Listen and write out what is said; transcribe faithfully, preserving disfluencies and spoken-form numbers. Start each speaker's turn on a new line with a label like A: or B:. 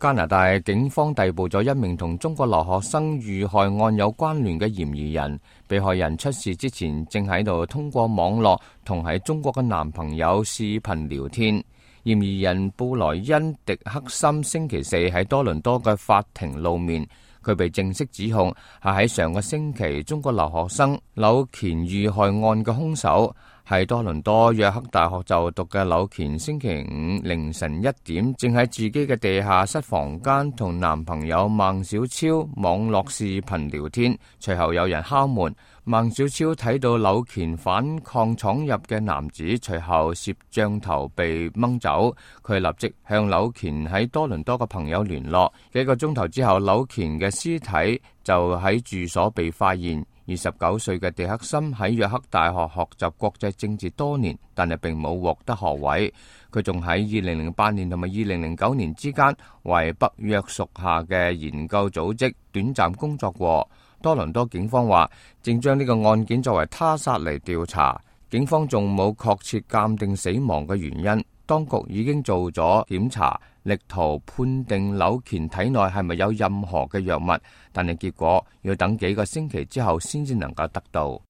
A: 加拿大警方逮捕咗一名同中國留學生遇害案有關聯嘅嫌疑人，被害人出事之前正喺度通過網絡同喺中國嘅男朋友視頻聊天。嫌疑人布萊恩迪克森星期四喺多倫多嘅法庭露面，佢被正式指控係喺上個星期中國留學生柳乾遇害案嘅兇手。喺多倫多約克大學就讀嘅柳乾星期五凌晨一點，正喺自己嘅地下室房間同男朋友孟小超網絡視頻聊天，隨後有人敲門，孟小超睇到柳乾反抗闖入嘅男子，隨後攝像頭被掹走，佢立即向柳乾喺多倫多嘅朋友聯絡。幾個鐘頭之後，柳乾嘅屍體就喺住所被發現。二十九歲嘅迪克森喺約克大學學習國際政治多年，但係並冇獲得學位。佢仲喺二零零八年同埋二零零九年之間為北約屬下嘅研究組織短暫工作過。多倫多警方話正將呢個案件作為他殺嚟調查，警方仲冇確切鑑定死亡嘅原因。當局已經做咗檢查，力圖判定柳乾體內係咪有任何嘅藥物，但係結果要等幾個星期之後先至能夠得到。